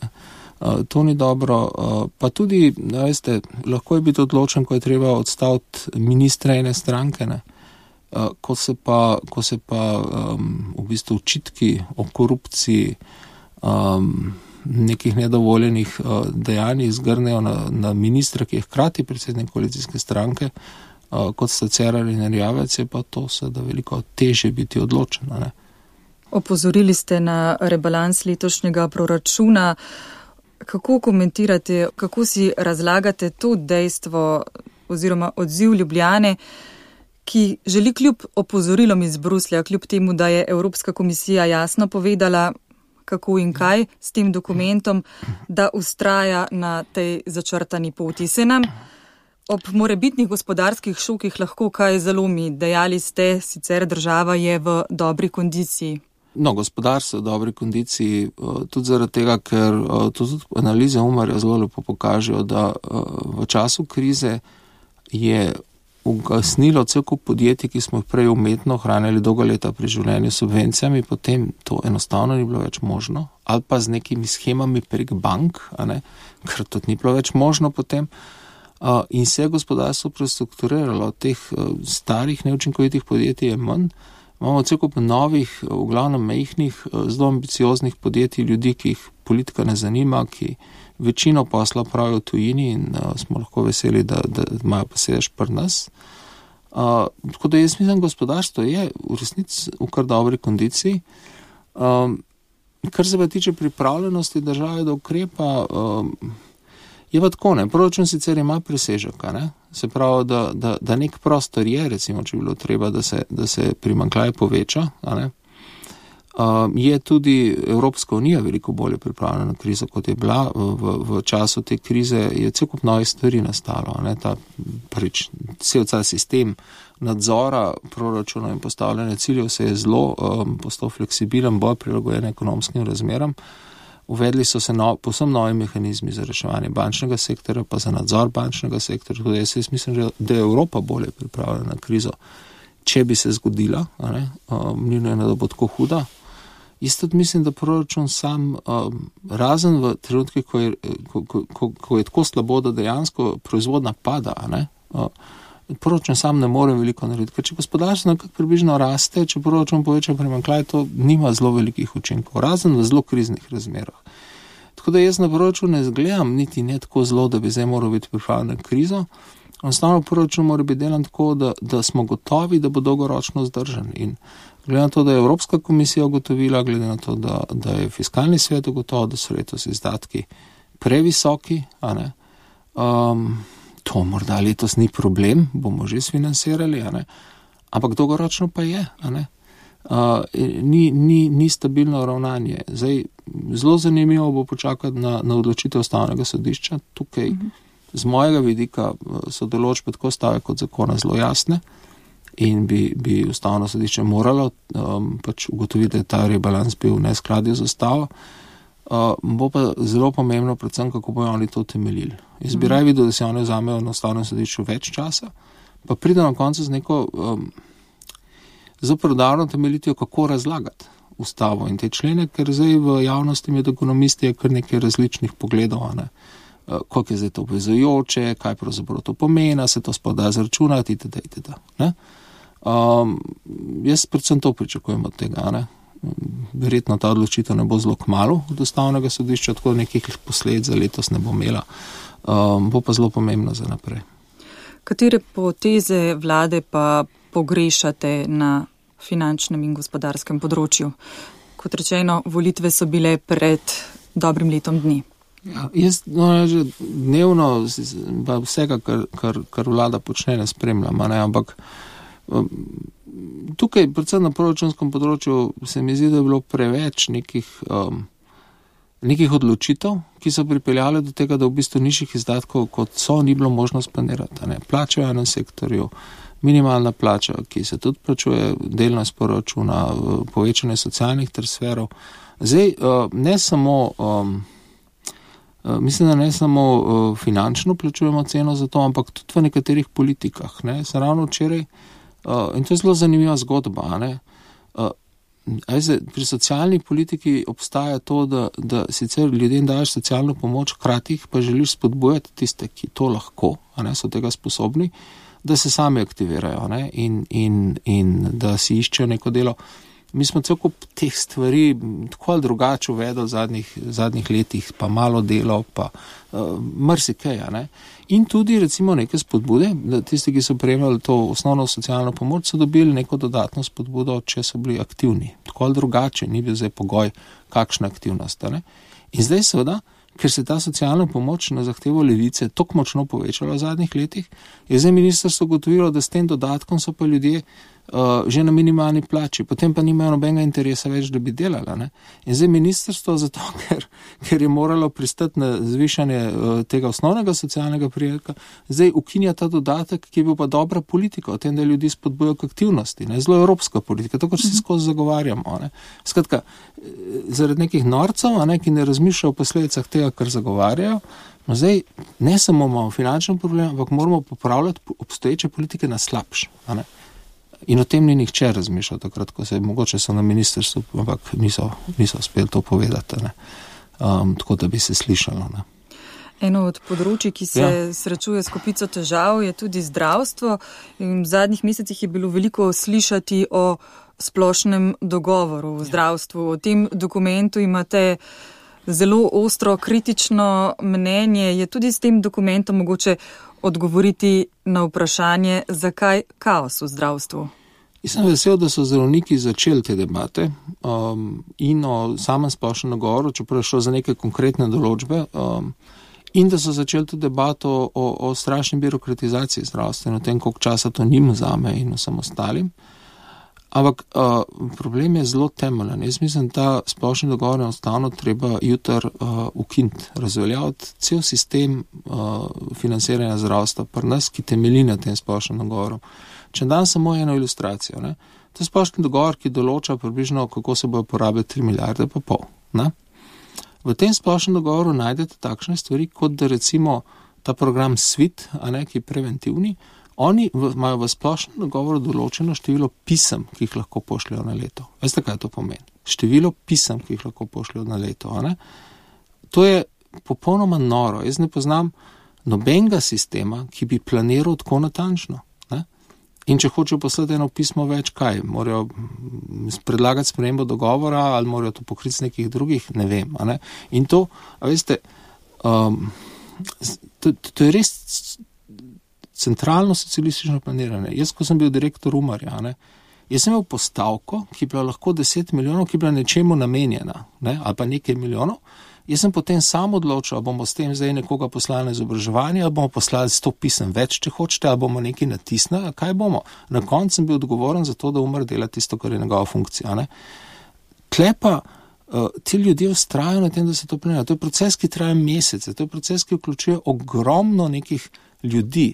To ni dobro, pa tudi, veste, lahko je biti odločen, ko je treba odstaviti ministra ene stranke, ko se pa v bistvu očitki o korupciji, nekih nedovoljenih dejanjih zgrnejo na ministra, ki je hkrati predsednik koalicijske stranke, kot sta Cerar in Erjavec, je pa to seveda veliko težje biti odločen. Opozorili ste na rebalans letošnjega proračuna. Kako komentirate, kako si razlagate to dejstvo oziroma odziv Ljubljane, ki želi kljub opozorilom iz Bruslja, kljub temu, da je Evropska komisija jasno povedala, kako in kaj s tem dokumentom, da vztraja na tej začrtani poti. Se nam ob morebitnih gospodarskih šokih lahko kaj zalomi? Dejali ste, sicer država je v dobri kondiciji. Gospodarstvo v dobri kondiciji, tudi zaradi tega, ker tudi analize Umarja zelo lepo pokažejo, da v času krize je ugasnilo cel kup podjetij, ki smo jih prej umetno hranili dolga leta pri življenju s subvencijami, potem to enostavno ni bilo več možno, ali pa z nekimi schemami prek bank, ker tudi ni bilo več možno potem. In se je gospodarstvo prestrukturiralo, teh starih neučinkovitih podjetij je manj. Imamo cel kup novih, v glavnem majhnih, zelo ambicioznih podjetij, ljudi, ki jih politika ne zanima, ki večino posla pravijo v tujini in smo lahko veseli, da imajo pa sedež pri nas. Tako da jaz mislim, gospodarstvo je v resnici v kar dobri kondiciji. Kar se pa tiče pripravljenosti države do ukrepa, je pa tako, proračun sicer ima presežek, se pravi, da nek prostor je, recimo, če bi bilo treba, da se primanjkljaj poveča, je tudi Evropska unija veliko bolje pripravljena na krizo, kot je bila. V času te krize je cel kup novih stvari nastalo, cel sistem nadzora proračuna in postavljanja ciljev se je zelo postal fleksibilen, bolj prilagojen ekonomskim razmeram. Uvedli so se povsem novi mehanizmi za reševanje bančnega sektorja, pa za nadzor bančnega sektorja. Tudi jaz mislim, da je Evropa bolje pripravljena na krizo, če bi se zgodila, ni nujno, da bo tako huda. Isto mislim, da proračun sam, razen v trenutki, ko je tako slabo, da dejansko proizvodnja pada, proračun sam ne more veliko narediti. Ker če gospodarstvo nekako približno raste, če proračun poveča primanjkljaj, to nima zelo velikih učinkov, razen v zelo kriznih razmerah. Tako da jaz na proračun ne gledam niti ne tako zelo, da bi zdaj moral biti pripravljen na krizo. Enostavno proračun mora biti delan tako, da smo gotovi, da bo dolgoročno zdržan. In glede na to, da je Evropska komisija ugotovila, glede na to, da je fiskalni svet ugotovil, da so letos izdatki previsoki, to morda letos ni problem, bomo že sfinansirali, ampak dolgoročno pa je, ni stabilno ravnanje. Zdaj, zelo zanimivo bo počakati na odločitev Ustavnega sodišča. Tukaj z mojega vidika so določbe tako stave kot zakona zelo jasne in bi Ustavno sodišče moralo ugotoviti, da je ta rebalans bil v neskladju z Ustavo. Bo pa zelo pomembno predvsem, kako bojo oni to utemeljili. Jaz bi raje videl, da se oni vzamejo na Ustavnem sodišču več časa, pa pride na koncu z neko zelo predarno temeljitijo, kako razlagati Ustavo in te člene, ker zdaj v javnosti med ekonomisti je kar nekaj različnih pogledov, koliko je zdaj to obvezujoče, kaj pravzaprav to pomeni, se to sploh da zračunati, itd. Jaz predvsem to pričakujem od tega, Verjetno ta odločitev ne bo zelo kmalu od Ustavnega sodišča, tako nekih posledic za letos ne bo imela, bo pa zelo pomembno za naprej. Katere poteze vlade pa pogrešate na finančnem in gospodarskem področju? Kot rečeno, volitve so bile pred dobrim letom dni. Ja, jaz že dnevno vsega, kar vlada počne, ne spremljam, ampak tukaj, predvsem na proračunskem področju, se mi zdi, da je bilo preveč nekih odločitev, ki so pripeljale do tega, da v bistvu nižjih izdatkov, kot so, ni bilo možno splanirati. Plače v enem sektorju, minimalna plača, ki se tudi plačuje delno iz proračuna, povečanje socialnih transferov. Zdaj, mislim, da ne samo finančno plačujemo ceno za to, ampak tudi v nekaterih politikah. Sem ravno včeraj, in to je zelo zanimiva zgodba. Pri socialni politiki obstaja to, da sicer ljudem daješ socialno pomoč, hkrati pa želiš spodbujati tiste, ki to lahko, so tega sposobni, da se sami aktivirajo in da si iščejo neko delo. Mi smo cel kup teh stvari tako ali drugače uvedli v zadnjih letih, pa malo delo, pa marsikaj. In tudi recimo neke spodbude, da tisti, ki so prejemali to osnovno socialno pomoč, so dobili neko dodatno spodbudo, če so bili aktivni. Tako ali drugače, ni bil zdaj pogoj, kakšna aktivnost. In zdaj seveda, ker se ta socialna pomoč na zahtevo Levice tako močno povečala v zadnjih letih, je zdaj ministrstvo ugotovilo, da s tem dodatkom so pa ljudje že na minimalni plači, potem pa nimajo nobenega interesa več, da bi delala. Ne? In zdaj ministrstvo zato, ker je moralo pristati na zvišanje tega osnovnega socialnega prejemka, zdaj ukinja ta dodatek, ki je bil pa dobra politika, o tem, da ljudi spodbujajo k aktivnosti, ne? Zelo evropska politika, tako kot si skozi zagovarjamo. Ne? Skratka, zaradi nekih norcev, ki ne razmišljajo o posledicah tega, kar zagovarjajo, no zdaj ne samo imamo finančni problem, ampak moramo popravljati obstoječe politike na slabš. In o tem ni nihče razmišljal takrat, ko mogoče so na ministrstvu, ampak niso uspeli to povedati, tako da bi se slišalo. Ne. Eno od področji, ki se srečuje s kopico težav, je tudi zdravstvo. In v zadnjih mesecih je bilo veliko slišati o splošnem dogovoru v zdravstvu. O tem dokumentu imate zelo ostro, kritično mnenje. Je tudi s tem dokumentom mogoče odgovoriti na vprašanje, zakaj kaos v zdravstvu? Jaz sem vesel, da so zdravniki začeli te debate in o samem splošnem dogovoru, čeprav je šlo za neke konkretne določbe, in da so začeli to debato o strašni birokratizaciji zdravstva in o tem, koliko časa to njim vzame in vsem ostalim. Ampak problem je zelo temeljen. Jaz mislim, da splošni dogovor enostavno treba jutri ukiniti, razveljaviti cel sistem financiranja zdravstva pri nas, ki temelji na tem splošnem dogovoru. Če dam samo eno ilustracijo, ne? To je splošni dogovor, ki določa približno, kako se bojo porabili 3,5 milijarde. Ne? V tem splošnem dogovoru najdete takšne stvari, kot da recimo ta program SWIT, ki je preventivni, oni imajo v splošnem dogovoru določeno število pisem, ki jih lahko pošljajo na leto. Veste, kaj to pomeni? Število pisem, ki jih lahko pošljajo na leto. To je popolnoma noro. Jaz ne poznam nobenega sistema, ki bi planiral tako natančno. In če hočejo poslati eno pismo več, kaj? Morajo predlagati spremembo dogovora ali morajo to pokriti z nekih drugih? Ne vem. In to, veste, to je res centralno socialistično planiranje. Jaz, ko sem bil direktor Umarja, jaz sem imel postavko, ki je bila lahko 10 milijonov, ki je bila nečemu namenjena, ali pa nekaj milijonov. Jaz sem potem sam odločil, ali bomo s tem zdaj nekoga poslali na izobraževanje, ali bomo poslali 100 pisem več, če hočete, ali bomo nekaj natisnili, kaj bomo. Na koncu sem bil odgovoren za to, da Umar dela tisto, kar je njegova funkcija. Tle pa ti ljudje vztrajajo na tem, da se to planira. To je proces, ki traja mesece, to je proces, ki vključuje ogromno nekih ljudi.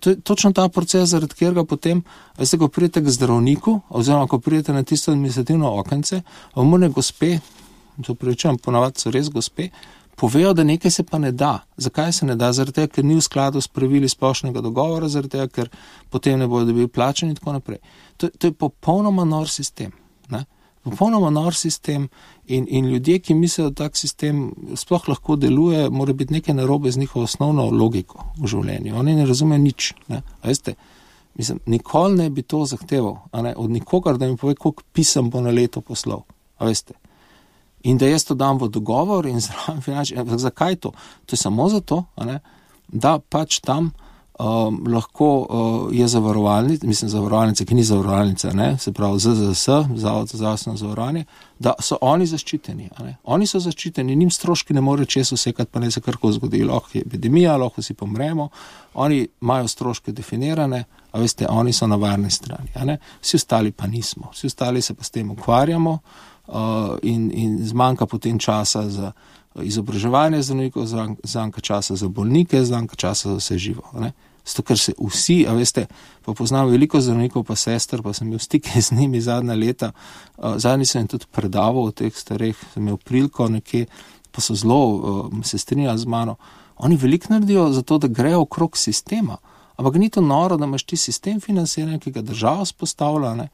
To je točno ta proces, zaradi katerega potem, veste, ko pridete k zdravniku, oziroma ko pridete na tisto administrativno okence, omorne gospe, to prečujem, ponavadi so res gospe, povejo, da nekaj se pa ne da. Zakaj se ne da? Zaradi tega, ker ni v skladu s pravili splošnega dogovora, zaradi tega, ker potem ne bodo dobili plačani in tako naprej. To je popolnoma nor sistem. Popolnoma nor sistem in ljudje, ki mislijo, da tak sistem sploh lahko deluje, mora biti nekaj narobe z njihovo osnovno logiko v življenju. Oni ne razumejo nič. Veste, mislim, nikoli ne bi to zahteval, od nikogar, da mi pove, koliko pisem bo na leto poslal. Veste. In da jaz to dam v dogovor in zraven finančni. Zakaj to? To je samo zato, da pač tam lahko je zavarovalnica, ki ni zavarovalnica, se pravi ZZS, Zavod za zdravstveno zavarovanje, da so oni zaščiteni. Oni so zaščiteni, njim stroški ne more čez vsekati, pa ne se karko zgodi, lahko je epidemija, lahko si pomremo, oni imajo stroške definirane, a veste, oni so na varni strani. Vsi ostali pa nismo. Vsi ostali se pa s tem ukvarjamo, in zmanjka potem časa za izobraževanje zdravnikov, zmanjka časa za bolnike, zmanjka časa za vse živo. Zato, ker se vsi, a veste, pa poznam veliko zdravnikov pa sester, pa sem imel stike z njimi zadnja leta, zadnji sem jim tudi predaval o teh starih, sem imel priliko nekje, pa so zelo se strinjali z mano. Oni veliko naredijo za to, da grejo okrog sistema, ampak ni to noro, da imaš ti sistem financiranja, ki ga država spostavlja,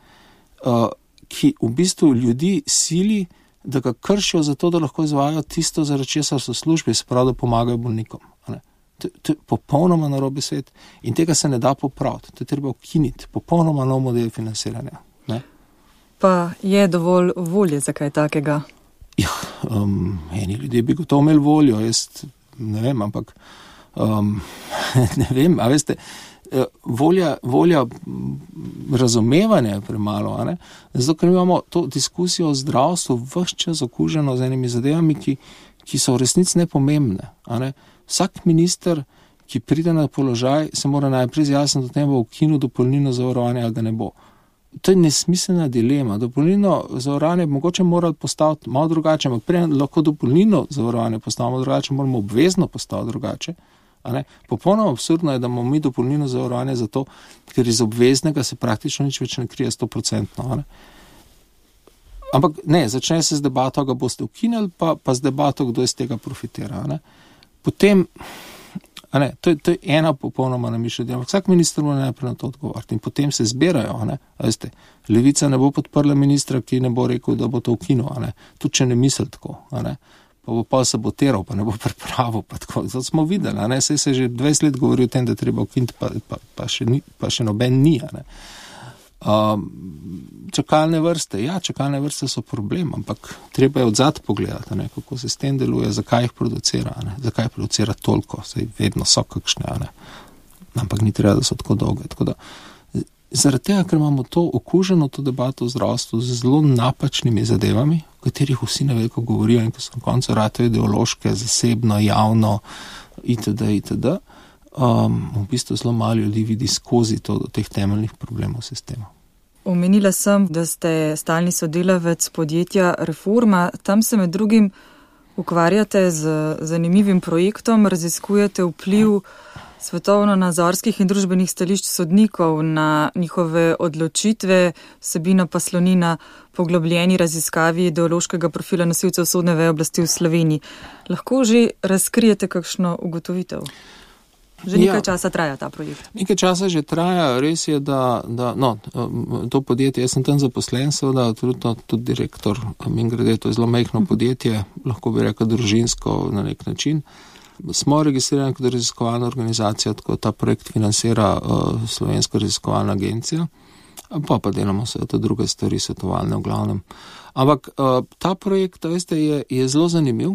ki v bistvu ljudi sili, da ga kršijo zato, da lahko izvajajo tisto, zaradi česar so službe, se pravi, da pomagajo bolnikom. To je popolnoma narobe svet in tega se ne da popraviti. To je treba ukiniti. Popolnoma nov model financiranja. Pa je dovolj volje za kaj takega? Ja, eni ljudje bi gotovo imeli voljo, jaz ne vem, ampak ne vem, a veste, volja razumevanja je premalo, zato ker imamo to diskusijo o zdravstvu vse čas okuženo z enimi zadevami, ki so v resnici nepomembne. Vsak minister, ki pride na položaj, se mora najprej izjasniti o tem, bo ukinil dopolnilno zavarovanje ali ga ne bo. to je nesmiselna dilema. Dopolnilno zavarovanje mogoče morali postaviti malo drugače, ampak prej lahko dopolnilno zavarovanje postavimo drugače, moramo obvezno postaviti drugače. Popolnoma absurdno je, da imamo mi dopolnilno zavarovanje zato, ker iz obveznega se praktično nič več ne krije 100%. Ampak ne, začne se z debato, ga boste ukinili, pa z debato, kdo iz tega profitira. Potem, to je ena popolnoma namišljena. Vsak minister mora najprej na to odgovoriti in potem se zbirajo. Veste, Levica ne bo podprla ministra, ki ne bo rekel, da bo to ukinil. Tudi če ne misli tako. Pa bo pa sabotiral, pa ne bo pripravil. Zato smo videli. Saj se že 20 let govori o tem, da treba ukiniti, pa še noben ni. Čakalne vrste. Ja, čakalne vrste so problem, ampak treba je odzad pogledati, kako se s tem deluje, zakaj jih producira, zakaj producira toliko, saj vedno so kakšne, ampak ni treba, da so tako dolge. Tako da, zaradi tega, ker imamo to okuženo, to debato v zdravstvu z zelo napačnimi zadevami, o katerih vsi na veliko govorijo in ko so na koncu ratajo ideološke, zasebno, javno, itd. V bistvu zelo malo ljudi vidi skozi to do teh temeljnih problemov sistema. Omenila sem, da ste stalni sodelavec podjetja Reforma. Tam se med drugim ukvarjate z zanimivim projektom, raziskujete vpliv svetovno-nazorskih in družbenih stališč sodnikov na njihove odločitve, vsebina pa sloni na poglobljeni raziskavi ideološkega profila nosilcev sodne veje oblasti v Sloveniji. Lahko že razkrijete kakšno ugotovitev? Že nekaj časa traja ta projekt. Nekaj časa že traja, res je, da to podjetje, jaz sem tam zaposlen, seveda, tudi direktor, mimogrede, to je zelo majhno podjetje, lahko bi rekel družinsko na nek način. Smo registrirani kot raziskovalna organizacija, tako ta projekt financira Slovenska raziskovalna agencija, pa delamo seveda druge stvari, svetovalne v glavnem. Ampak ta projekt, veste, je zelo zanimiv,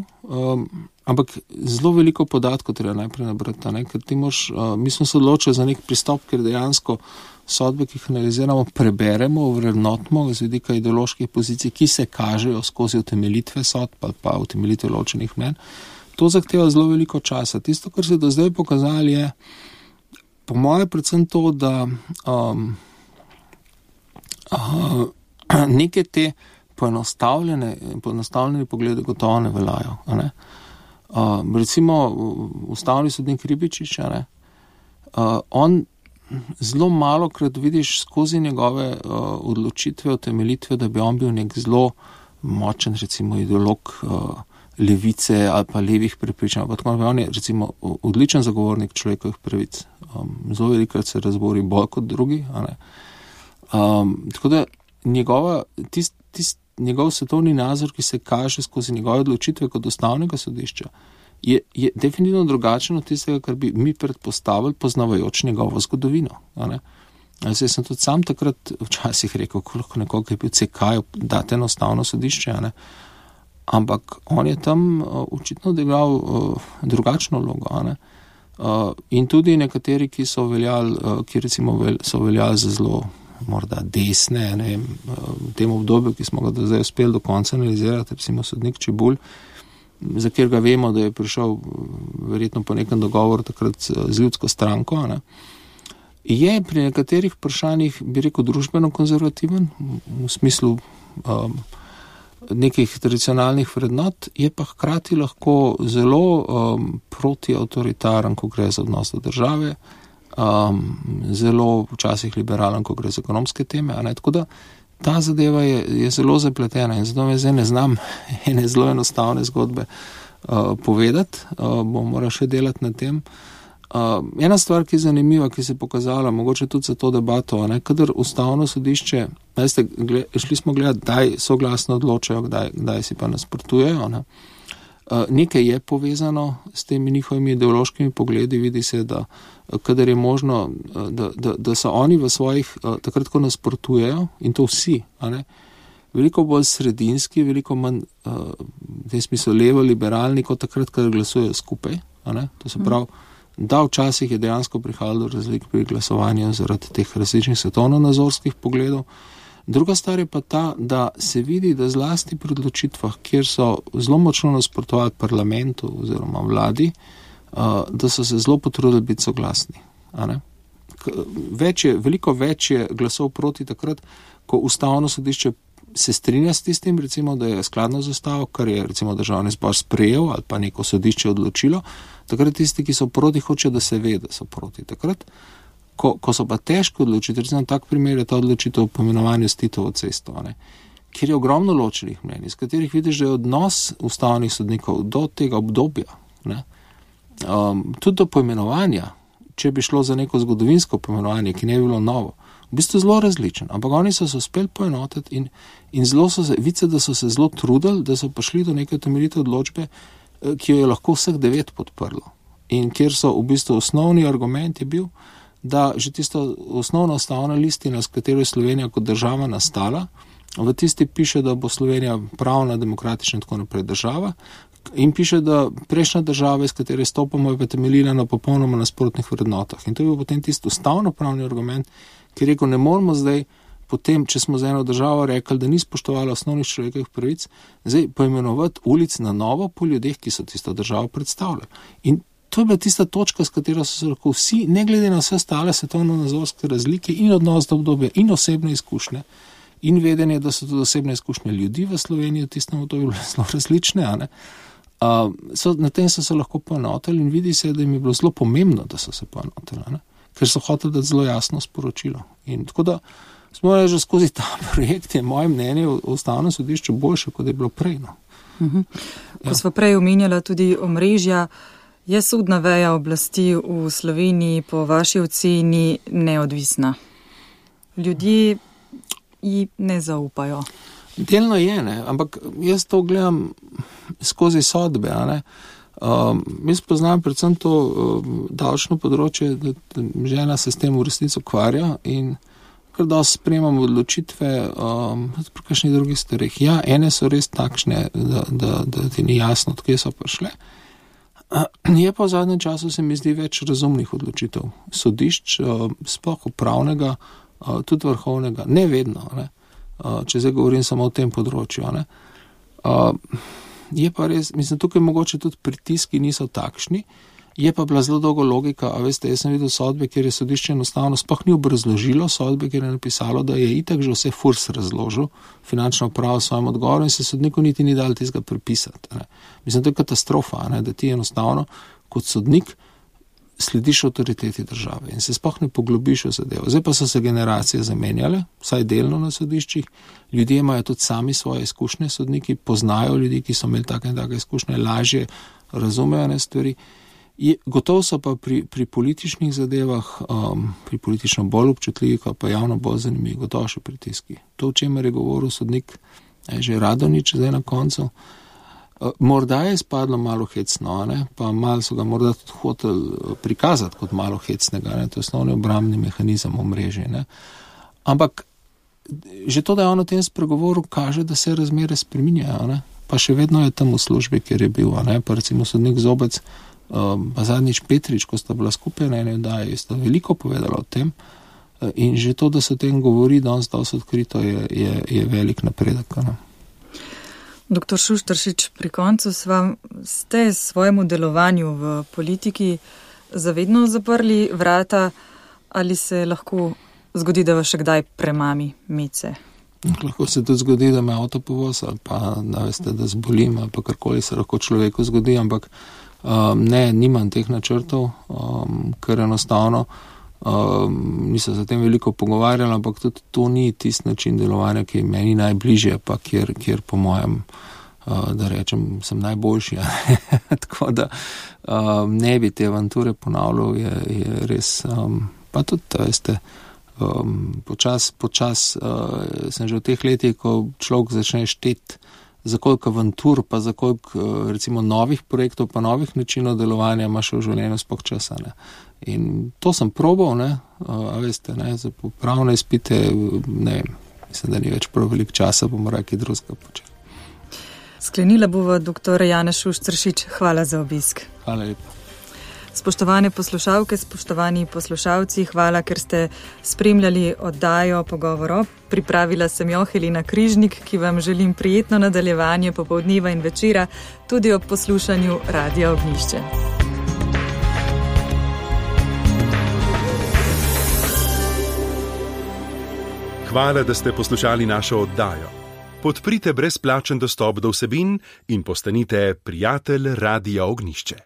ampak zelo veliko podatkov treba najprej nabrati, ker ti mi smo se odločili za nek pristop, ker dejansko sodbe, ki jih analiziramo, preberemo, vrednotimo z vidika ideoloških pozicij, ki se kažejo skozi utemeljitve sodb ali pa utemeljitve ločenih mnenj. To zahteva zelo veliko časa. Tisto, kar se do zdaj pokazali, je po moje predvsem to, da neke te poenostavljene poglede gotovo ne veljajo. Recimo ustavni sodnik Ribičič, on zelo malokrat vidiš skozi njegove odločitve, utemeljitve, da bi on bil nek zelo močen, recimo ideolog levice ali pa levih prepričanj. On je recimo odličen zagovornik človekovih pravic. Zelo velikokrat se razbori bolj kot drugi. Tako da njegov svetovni nazor, ki se kaže skozi njegove odločitve kot ustavnega sodišča, je definitivno drugačen od tistega, kar bi mi predpostavili, poznavajoč njegovo zgodovino. Jaz sem tudi sam takrat včasih rekel, koliko nekoga, ki je bil CK-ju, date na ustavno sodišče, ampak on je tam očitno odigral drugačno vlogo. In tudi nekateri, ki so veljali za zelo morda desne, v tem obdobju, ki smo ga do zdaj uspeli do konca analizirati, recimo sodnik Čebulj, za kjer ga vemo, da je prišel verjetno po nekem dogovoru takrat z ljudsko stranko, je pri nekaterih vprašanjih, bi rekel, družbeno konzervativen, v smislu nekih tradicionalnih vrednot, je pa hkrati lahko zelo protiautoritaren, ko gre za odnos do države, zelo včasih liberalen, ko gre za ekonomske teme. Tako da ta zadeva je zelo zapletena in zato me zdaj ne znam ene zelo enostavne zgodbe povedati, bom moral še delati na tem. Ena stvar, ki je zanimiva, ki se je pokazala, mogoče tudi za to debato, kadar ustavno sodišče, šli smo gledati, kdaj soglasno odločajo, kdaj si pa nasprotujejo. Nekaj je povezano s temi njihovimi ideološkimi pogledi, vidi se, da kadar je možno, da so oni v svojih, takrat, ko nasprotujejo, in to vsi, veliko bolj sredinski, veliko manj v tem smislu levo-liberalni, kot takrat, kadar glasujejo skupaj. To se pravi, da včasih je dejansko prihajalo do razlik pri glasovanju zaradi teh različnih svetovno-nazorskih pogledov. Druga stvar je pa ta, da se vidi, da zlasti pri odločitvah, kjer so zelo močno nasprotovali parlamentu oziroma vladi, da so se zelo potrudili biti soglasni. ampak veliko več je glasov proti takrat, ko ustavno sodišče se strinja s tistim, recimo, da je skladno z ustavo, kar je recimo državni zbor sprejel ali pa neko sodišče odločilo, takrat tisti, ki so proti, hočejo, da se ve, da so proti. Takrat, ko so pa težko odločiti, recimo tak primer je ta odločitev o poimenovanju s Titovo cesto, kjer je ogromno ločenih mnenj, iz katerih vidiš, da je odnos ustavnih sodnikov do tega obdobja, tudi do poimenovanja, če bi šlo za neko zgodovinsko poimenovanje, ki ne bi bilo novo, v bistvu zelo različen, ampak oni so se uspeli poenotiti in zelo so se, vice, da so se zelo trudili, da so prišli do neke temeljite odločbe, ki jo je lahko vseh 9 podprlo. In kjer so v bistvu osnovni argument je bil, da že tisto osnovna ustavna listina, s katero je Slovenija kot država nastala, v tisti piše, da bo Slovenija pravna, demokratična in tako naprej država, in piše, da prejšnja država, iz katere stopamo, je pa temeljila na popolnoma nasprotnih vrednotah. In to je bil potem tisti ustavno-pravni argument, ki je rekel, ne moramo zdaj, potem, če smo za eno državo rekli, da ni spoštovala osnovnih človekovih pravic, zdaj poimenovati ulic na novo po ljudeh, ki so tisto državo predstavljali. In to je bila tista točka, s katero so se lahko vsi, ne glede na vse ostale svetovno-nazorske razlike in odnos do obdobja in osebne izkušnje in vedenje, da so tudi osebne izkušnje ljudi v Sloveniji v tistem obdobju bile zelo različne, na tem so se lahko poenotili in vidi se, da jim je bilo zelo pomembno, da so se poenotili, ker so hoteli dati zelo jasno sporočilo. In tako da smo že skozi ta projekt, je moje mnenje o ustavnem sodišču boljše, kot je bilo prej. Ko smo prej omenjala tudi omrežja, je sodna veja oblasti v Sloveniji po vaši oceni neodvisna? Ljudje ji ne zaupajo. Delno je, ampak jaz to gledam skozi sodbe, jaz poznam predvsem to davčno področje, da žena se s tem v resnici ukvarja in kar dosti sprejemamo odločitve pri kakšnih drugih stvareh. Ja, ene so res takšne, da ti ni jasno, odkje so prišle. Je pa v zadnjem času se mi zdi več razumnih odločitev. Sodišč, sploh upravnega, tudi vrhovnega, ne vedno, če zdaj govorim samo o tem področju. Je pa res, mislim, tukaj mogoče tudi pritiski niso takšni, je pa bila zelo dolgo logika, a veste, jaz sem videl sodbe, kjer je sodišče enostavno sploh ni obrazložilo sodbe, kjer je napisalo, da je itak že vse FURS razložil, finančno upravo v svojem odgovoru in se sodniku niti ni dal tistega prepisati. Mislim, to je katastrofa, da ti enostavno kot sodnik slediš avtoriteti države in se sploh ne poglobiš v zadevo. Zdaj pa so se generacije zamenjale, vsaj delno na sodiščih, ljudje imajo tudi sami svoje izkušnje, sodniki poznajo ljudi, ki so imeli take in take izkušnje, lažje razumejo stvari. Gotovo so pa pri političnih zadevah, pri politično bolj občutljivih, pa javno bolj zanimivi, gotovo še pritiski. To, o čemer je govoril sodnik, že Radonjić zdaj na koncu, morda je izpadlo malo hecno, pa malo so ga morda tudi hoteli prikazati kot malo hecnega, to je osnovni obrambni mehanizem omrežja. Ampak že to, da je on o tem spregovoril, kaže, da se razmere spreminjajo, pa še vedno je tam v službi, kjer je bil, pa recimo sodnik Zobec, pa zadnjič Petrič, ko sta bila skupaj na eni oddaji, sta veliko povedala o tem in že to, da se o tem govori danes dosti odkrito, je velik napredek. Doktor Šuštaršič, pri koncu ste svojemu delovanju v politiki zavedno zaprli vrata ali se lahko zgodi, da vas še kdaj premami mece? Lahko se tudi zgodi, da me avto povoz ali pa da zbolim ali pa karkoli se lahko človeku zgodi, ampak ne, nimam teh načrtov, ker enostavno nisem se o tem veliko pogovarjal, ampak tudi to ni tisti način delovanja, ki je meni najbližje, pa kjer po mojem, da rečem, sem najboljši. Tako da ne bi te avanture ponavljal, je res, pa tudi, veste, počas sem že v teh letih, ko človek začne šteti, za koliko avantur, pa za koliko recimo novih projektov, pa novih načinov delovanja ima še v življenju sploh časa. In to sem probal, a veste, za pravne izpite, ne vem, mislim, da ni več prav veliko časa, bomo kaj drugega počeli. Sklenila bova dr. Janez Šuštaršič, hvala za obisk. Hvala lepa. Spoštovane poslušalke, spoštovani poslušalci, hvala, ker ste spremljali oddajo Pogovor. Pripravila sem jo Helena Križnik, ki vam želim prijetno nadaljevanje popoldneva in večera, tudi ob poslušanju Radia Ognjišče. Hvala, da ste poslušali našo oddajo. Podprite brezplačen dostop do vsebin in postanite prijatelj Radia Ognjišče.